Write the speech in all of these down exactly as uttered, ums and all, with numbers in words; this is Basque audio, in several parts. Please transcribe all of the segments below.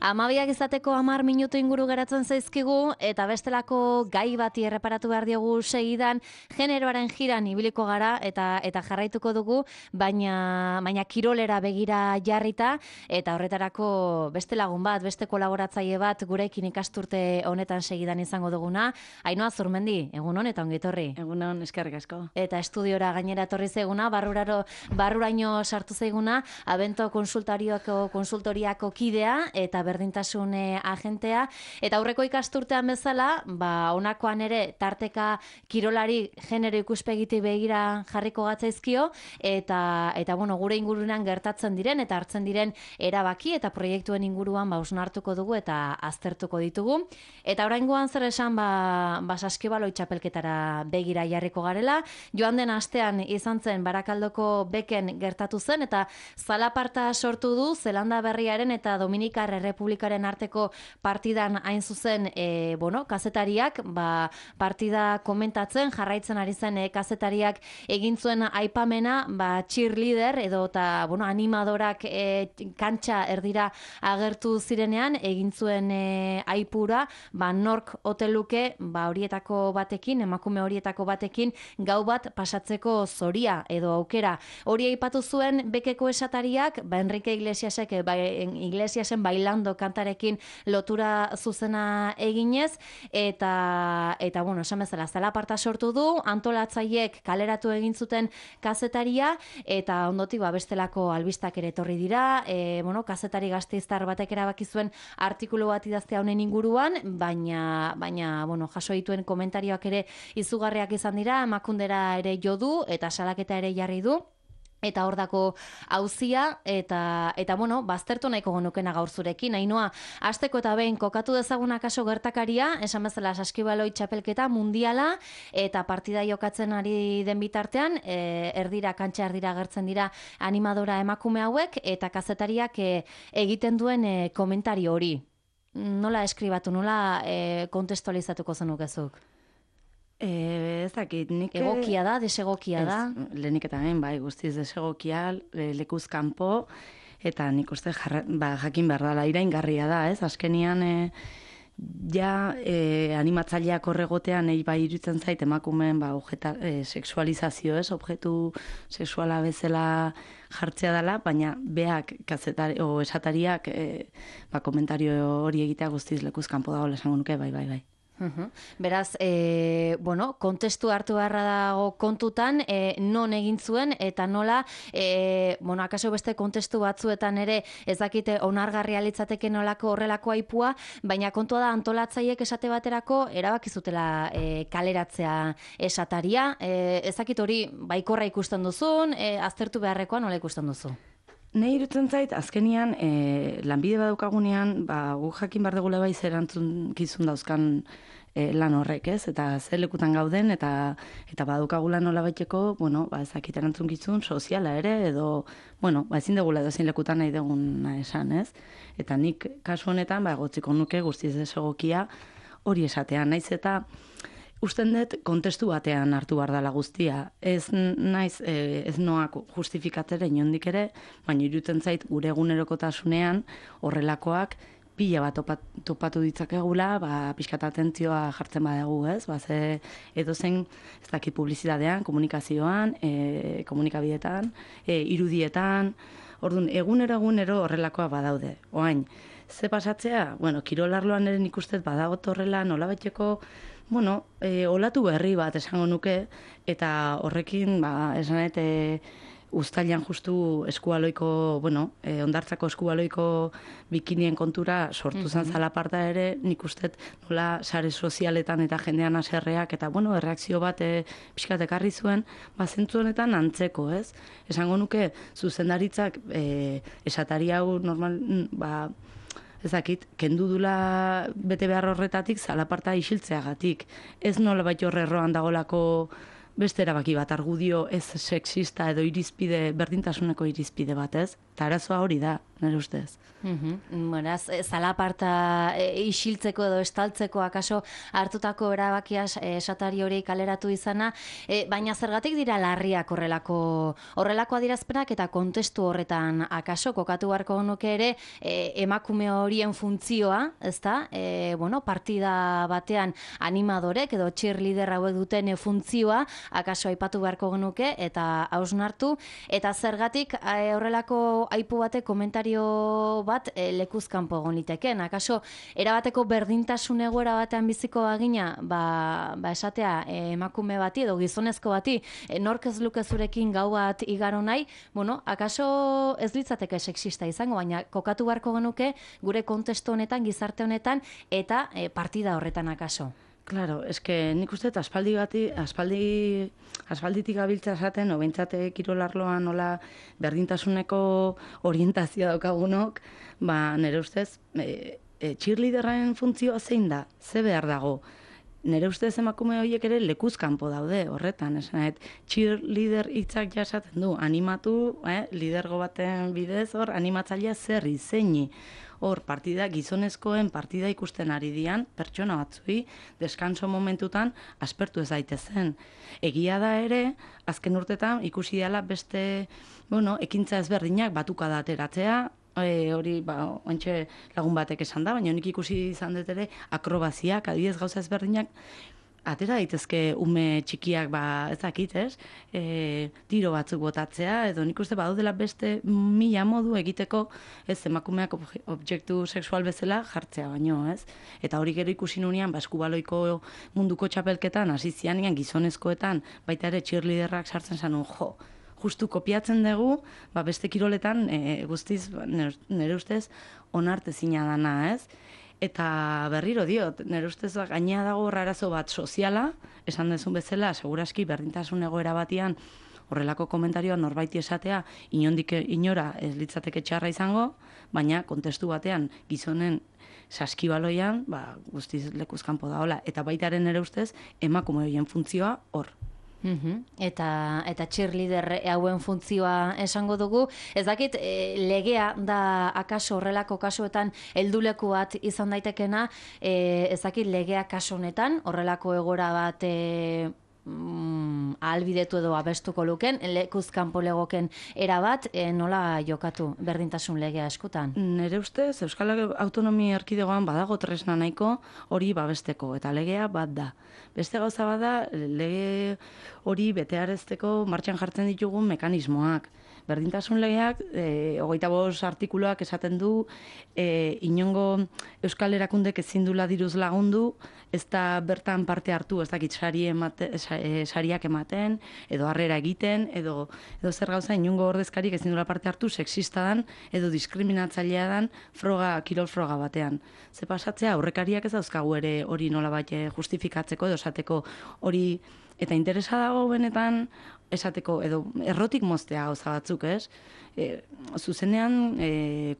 Amabiak izateko hamar minutu inguru geratzen zaizkigu, eta bestelako gai bati erreparatu behar diogu segidan, generoaren jiran ibiliko gara, eta eta jarraituko dugu, baina, baina kirolera begira jarrita, eta horretarako beste lagun bat, beste kolaboratzaile bat, gurekin ikasturte honetan segidan izango duguna. Ainhoa Zurmendi, egunon eta ongi etorri. Egunon, eskerrik asko. Eta estudiora gainera etorri zaiguna, barruraro, barruraino sartu zaiguna, Abento konsultoriako, konsultoriako kidea eta berdintasun agentea. Eta aurreko ikasturtean bezala, ba, honakoan ere tarteka kirolari genero ikuspegiti begira jarriko gatzaizkio, eta, eta bueno, gure ingurunan gertatzen diren eta hartzen diren erabaki eta proiektuen inguruan ba, osnartuko dugu eta aztertuko ditugu. Eta oraingoan zer esan, ba, ba Saskibaloi txapelketara begira jarriko garela. Joan den astean izan zen Barakaldoko beken gertatu zen, eta zalaparta sortu du Zelanda Berriaren eta Dominikar Errepublikaren arteko partidan hain zuzen e, bueno, kazetariak, ba, partida komentatzen, jarraitzen ari zen e, kazetariak egin zuen aipamena, ba, cheerleader edo eta bueno, animadorak e, kantxa erdira agertu zirenean, egin zuen e, aipura, ba, nork oteluke ba, horietako batekin, emakume horietako batekin, gau bat pasatzeko zoria edo aukera. Hori aipatu zuen bekeko esatariak, ba, Enrique Iglesiasek, ba, Iglesiasen bailando kantarekin lotura zuzena eginez, eta, eta bueno, esan bezala, zalaparta sortu du, antolatzaiek kaleratu egin zuten kazetaria, eta ondotik ba, bestelako albistak ere etorri dira, e, bueno, kazetari gasteiztar batek erabaki zuen artikulu bat idaztea honen inguruan, baina, baina bueno, jaso dituen komentarioak ere izugarriak izan dira, emakundera ere jo du, eta salaketa ere jarri du. Eta hor dako auzia, eta, eta bueno, baztertu nahiko genukena gaur zurekin. Ainhoa, hasteko eta behin kokatu dezaguna kaso gertakaria, esan bezala Saskibaloi txapelketa mundiala, eta partida jokatzen ari den bitartean, e, erdira, kantxa erdira agertzen dira animadora emakume hauek, eta kazetariak e, egiten duen e, komentario hori. Nola eskribatu, nola e, kontestualizatuko zenukezuk? E, ez dakit, nik... Egokia da, desegokia da? Lehenik eta behin, bai, guztiz desegokia, lekuz kanpo, eta nik uste jarra, ba, jakin behar dela, iraingarria da, ez? Azkenian, e, ja, e, animatzaileak horregotean, nahi bai irutzen zait, emakumeen, ba, objeta, e, sexualizazio, ez? Objektu sexuala bezala jartzea dela, baina beak, kazetari, o esatariak, e, ba, komentario hori egitea guztiz lekuz kanpo dagoela esango nuke, bai, bai, bai. Uhum. Beraz, e, bueno, kontestu hartu beharra dago kontutan, e, non egin zuen, eta nola, e, bueno, akaso beste kontestu batzuetan ere ezakite onargarria litzateke nolako horrelako aipua, baina kontua da antolatzaiek esate baterako erabakizutela e, kaleratzea esataria, e, ezakit hori baikorra ikusten duzun, e, aztertu beharrekoa nola ikusten duzu? Nei irutzen zait, azkenian, e, lanbide badaukagunean, ba, gu jakin behar dugula bai zer erantzukizun dauzkan e, lan horrek, ez? Eta zer lekutan gauden, eta eta badaukagula nola baiteko, bueno, ba, ezakit erantzukizun soziala ere, edo, bueno, ba, ezin degula edo ezin lekutan nahi deguna esan, ez? Eta nik kasu honetan, ba, gotziko nuke guztiz desegokia hori esatean, naiz eta usten dut kontestu batean hartu behar dela guztia. Ez naiz, e, ez noak justifikatzera inondik ere, baina irutzen zait gure egunerokotasunean horrelakoak pila bat topat, topatu ditzakegula, ba, pixkat atentzioa jartzen badagu, ez? Ba, ze edo zen, ez dakit publizitatean, komunikazioan, e, komunikabidetan, e, irudietan, orduan, egunero egunero horrelakoa badaude. Oain, ze pasatzea? Bueno, kirolarloan ere nik ustez badagot horrela, nola baiteko, bueno, e, olatu berri bat esango nuke, eta horrekin, ba, esanet, e, uztailan justu eskualoiko, bueno, e, ondartzako eskualoiko bikinien kontura sortu zen mm-hmm. zalaparta ere, nik uste nola sare sozialetan eta jendean aserreak, eta, bueno, erreakzio bat e, pixkat ekarri zuen, ba, zentzu honetan antzeko, ez? Esango nuke, zuzendaritzak e, esatari hau normal, ba, ezakit, kendu dula bete behar horretatik zalaparta isiltzeagatik. Ez nola baita horrerroan dagolako beste erabaki bat argudio ez sexista edo irizpide, berdintasuneko irizpide bat, ez? Eta arazoa hori da, nire ustez. Mm-hmm. Beraz, zalaparta e, isiltzeko edo estaltzeko akaso hartutako erabakia esatari hori kaleratu izana, e, baina zergatik dira larriak horrelako horrelako adierazpenak eta kontestu horretan akaso kokatu beharko genuke ere e, emakume horien funtzioa, ezta? E, bueno, partida batean animadorek edo cheerleader hauek duten funtzioa akaso aipatu beharko genuke eta hausnartu, eta zergatik e, horrelako aipu batek komentario bat e, lekuzkanpo egon liteken. Akaso, erabateko berdintasun egoera batean biziko bagina, ba, ba esatea, e, emakume bati edo gizonezko bati, e, nork ez luke zurekin gau bat igaro nahi, bueno, akaso ez litzateke sexista izango, baina kokatu beharko genuke gure kontestu honetan, gizarte honetan, eta e, partida horretan akaso. Claro, eske nik uste aspaldi bati, aspaldi, aspalditik gabiltza esaten, no, behintzate kirolarloan nola berdintasuneko orientazioa daukagunok, ba, nire ustez, e, e, cheerleaderren funtzioa zein da, ze behar dago. Nire ustez emakume horiek ere lekuzkanpo daude horretan, esan, cheerleader hitzak jasaten du, animatu, eh, lidergo baten bidez, hor, animatzailea zerri, zeini. Hor, partida, gizonezkoen partida ikusten ari dian, pertsona batzui, deskanso momentutan, aspertu ez daitezen. Egia da ere, azken urtetan, ikusi dela beste, bueno, ekintza ezberdinak batuka da ateratzea, e, hori, ba, ontxe lagun batek esan da, baina honik ikusi izan dut ere, akrobaziak, adibidez gauza ezberdinak, atera daitezke ume txikiak, ba, ez dakit, ez? E, tiro batzuk botatzea, edo nik uste badudela beste mila modu egiteko, ez, emakumeak objektu sexual bezala jartzea baino, ez? Eta hori gero ikusi nunean, ba, eskubaloiko munduko txapelketan, hasi zianean gizonezkoetan, baita ere cheerleaderrak sartzen zanun, jo, justu kopiatzen dugu, ba, beste kiroletan, e, guztiz, nire ustez, onartezina dana, ez? Eta berriro diot, nire ustez gainea dago arazo bat soziala, esan dezun bezala, seguraski berdintasun egoera batian horrelako komentarioa norbaiti esatea inondik inora ez litzateke txarra izango, baina kontestu batean gizonen saskibaloian, ba, guztiz lekuzkanpo da hola. Eta baitaren nire ustez emakume horien funtzioa hor. Mm-hmm. Eta, eta cheerleader hauen funtzioa esango dugu. Ez dakit, e, legea da akaso horrelako kasuetan helduleku bat izan daitekena, e, ez dakit legea kasu honetan horrelako egora bat e, mm, ahalbidetu edo abestuko luken, lekuzkanpo legoken erabat, e, nola jokatu berdintasun legea eskutan? Nere ustez, Euskal Autonomia Erkidegoan badago tresna nahiko hori babesteko, eta legea bat da. Beste gauza bada, lege hori betearazteko martxan jartzen ditugun mekanismoak. Berdintasun legeak, e, hogeita bost artikuluak esaten du, e, inongo Euskal Erakundek ezin dula diruz lagundu, ez da bertan parte hartu, ez dakit sari emate, sariak ematen, edo harrera egiten, edo, edo zer gauza, inongo ordezkarik ezin dula parte hartu, sexista dan, edo diskriminatzailea dan, froga, kirol froga batean. Ze pasatzea, aurrekariak ez dauzkagu ere hori nolabait justifikatzeko, edo esateko hori, eta interesa dago benetan, esateko, edo errotik moztea gauza batzuk, ez? E, zuzenean, e,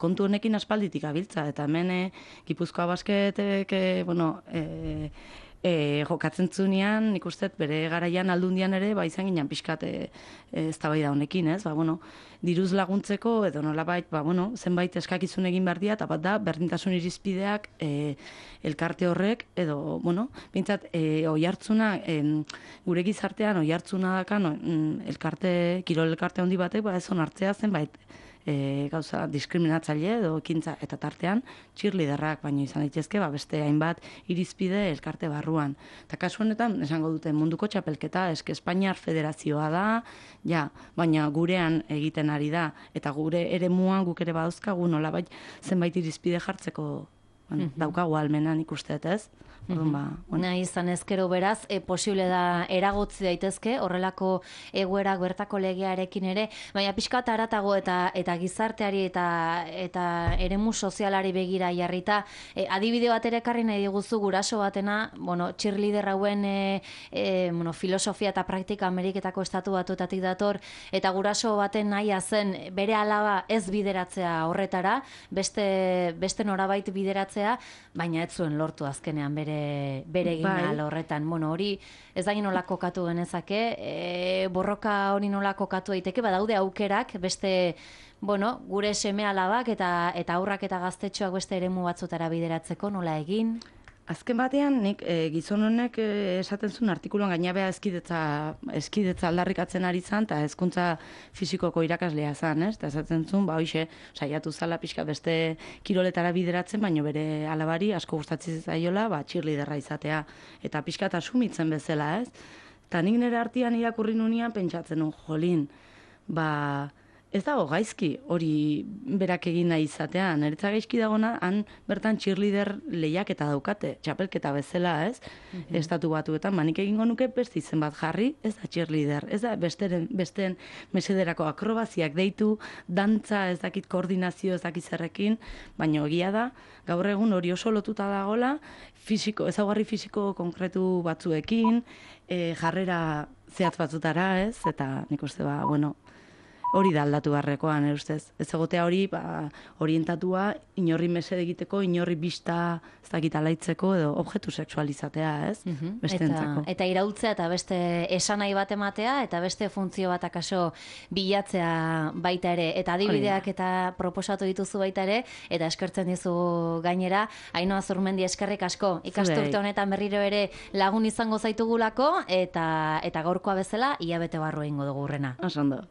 kontu honekin aspalditik abiltza, eta hemen e, Gipuzkoa basketek, e, bueno, e, e, jokatzen zunean, nik uste bere garaian aldundian ere, ba, izan ginen pixkat e, e, eztabaida honekin, ez? Ba, bueno, diruz laguntzeko, edo nolabait, ba, bueno, zenbait eskakizun egin behar dira, eta bat da, berdintasun irizpideak e, elkarte horrek, edo, bueno, bintzat, e, oi hartzuna, e, gure gizartean, oi hartzuna dakan, elkarte, kirol elkarte handi batek, ba, ez onartzea zenbait, e, gauza diskriminatzaile edo ekintza eta tartean cheerleaderrak, baino izan daitezke ba beste hainbat irizpide elkarte barruan. Eta kasu honetan esango dute munduko txapelketa eske Espainiar Federazioa da, ja, baina gurean egiten ari da eta gure eremuan guk ere badauzkagu nolabait zenbait irizpide jartzeko, bueno, mm-hmm. daukagu almenan ikusteet, ez? Orduan, ba, bueno. Nahi izan ezkero beraz, e, posible da eragotzi daitezke, horrelako egoerak bertako legearekin ere, baina pixkat haratago eta eta gizarteari eta eta eremu sozialari begira jarrita, e, adibide bat ere ekarri nahi diguzu guraso batena, bueno, cheerleader hauen e, e, bueno, filosofia eta praktika Ameriketako estatu batuetatik dator, eta guraso baten nahia zen bere alaba ez bideratzea horretara, beste, beste norabait bideratzea itzultzea, baina ez zuen lortu azkenean bere, bere egin Bai. horretan. Bueno, hori ez da nola kokatu genezake, e, borroka hori nola kokatu daiteke, badaude aukerak, beste, bueno, gure seme alabak eta, eta aurrak eta gaztetxoak beste eremu batzutara bideratzeko, nola egin? Azken batean, nik e, gizon honek e, esaten zuen artikuluan gainabea eskidetza, eskidetza aldarrikatzen ari zan, eta hezkuntza fisikoko irakaslea zan, ez? Eta esaten zuen, ba, hoxe, saiatu zala pixka beste kiroletara bideratzen, baino bere alabari asko gustatzen zaiola, ba, cheerleaderra izatea, eta pixka eta sumitzen bezala, ez? Eta nik nire artean irakurri nunean pentsatzen nun, jolin, ba, ez dago gaizki hori berak egin nahi izatea. Niretza gaizki dagona, han bertan cheerleader lehiaketa daukate, txapelketa bezala, ez? Mm-hmm. Estatu batuetan, manik egingo nuke beste izen bat jarri, ez da cheerleader, ez da besteren, besteen mesederako akrobaziak deitu, dantza, ez dakit koordinazio, ez dakit zerrekin, baina egia da, gaur egun hori oso lotuta dagola, fisiko, ezaugarri fisiko konkretu batzuekin, e, jarrera zehatz batzutara, ez? Eta nik uste ba, bueno, hori da aldatu barrekoan, ustez. Ez egotea hori, ba, orientatua, inorri mesede egiteko, inorri bista, ez dakit alaitzeko, edo objektu sexualizatea, ez? Mm-hmm. Bestentzako. Eta, eta iraultzea eta beste esanahi bat ematea, eta beste funtzio bat akaso bilatzea baita ere. Eta adibideak eta proposatu dituzu baita ere, eta eskertzen dizu gainera, Ainhoa Zurmendi eskerrik asko. Ikasturte honetan berriro ere lagun izango zaitugulako, eta, eta gaurkoa bezala, hilabete barru egingo dugu hurrena. Oso ondo.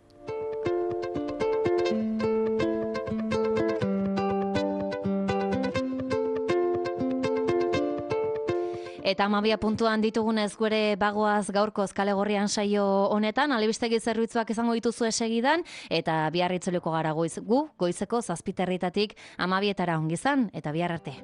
Eta amabia puntuan ditugunez gure bagoaz gaurkoz kale gorrian saio honetan, alebistegi zerbitzuak izango dituzu esegidan, eta bihar itzuleko gara goiz, gu, goizeko zazpiterritatik amabietara ongizan, eta bihar arte.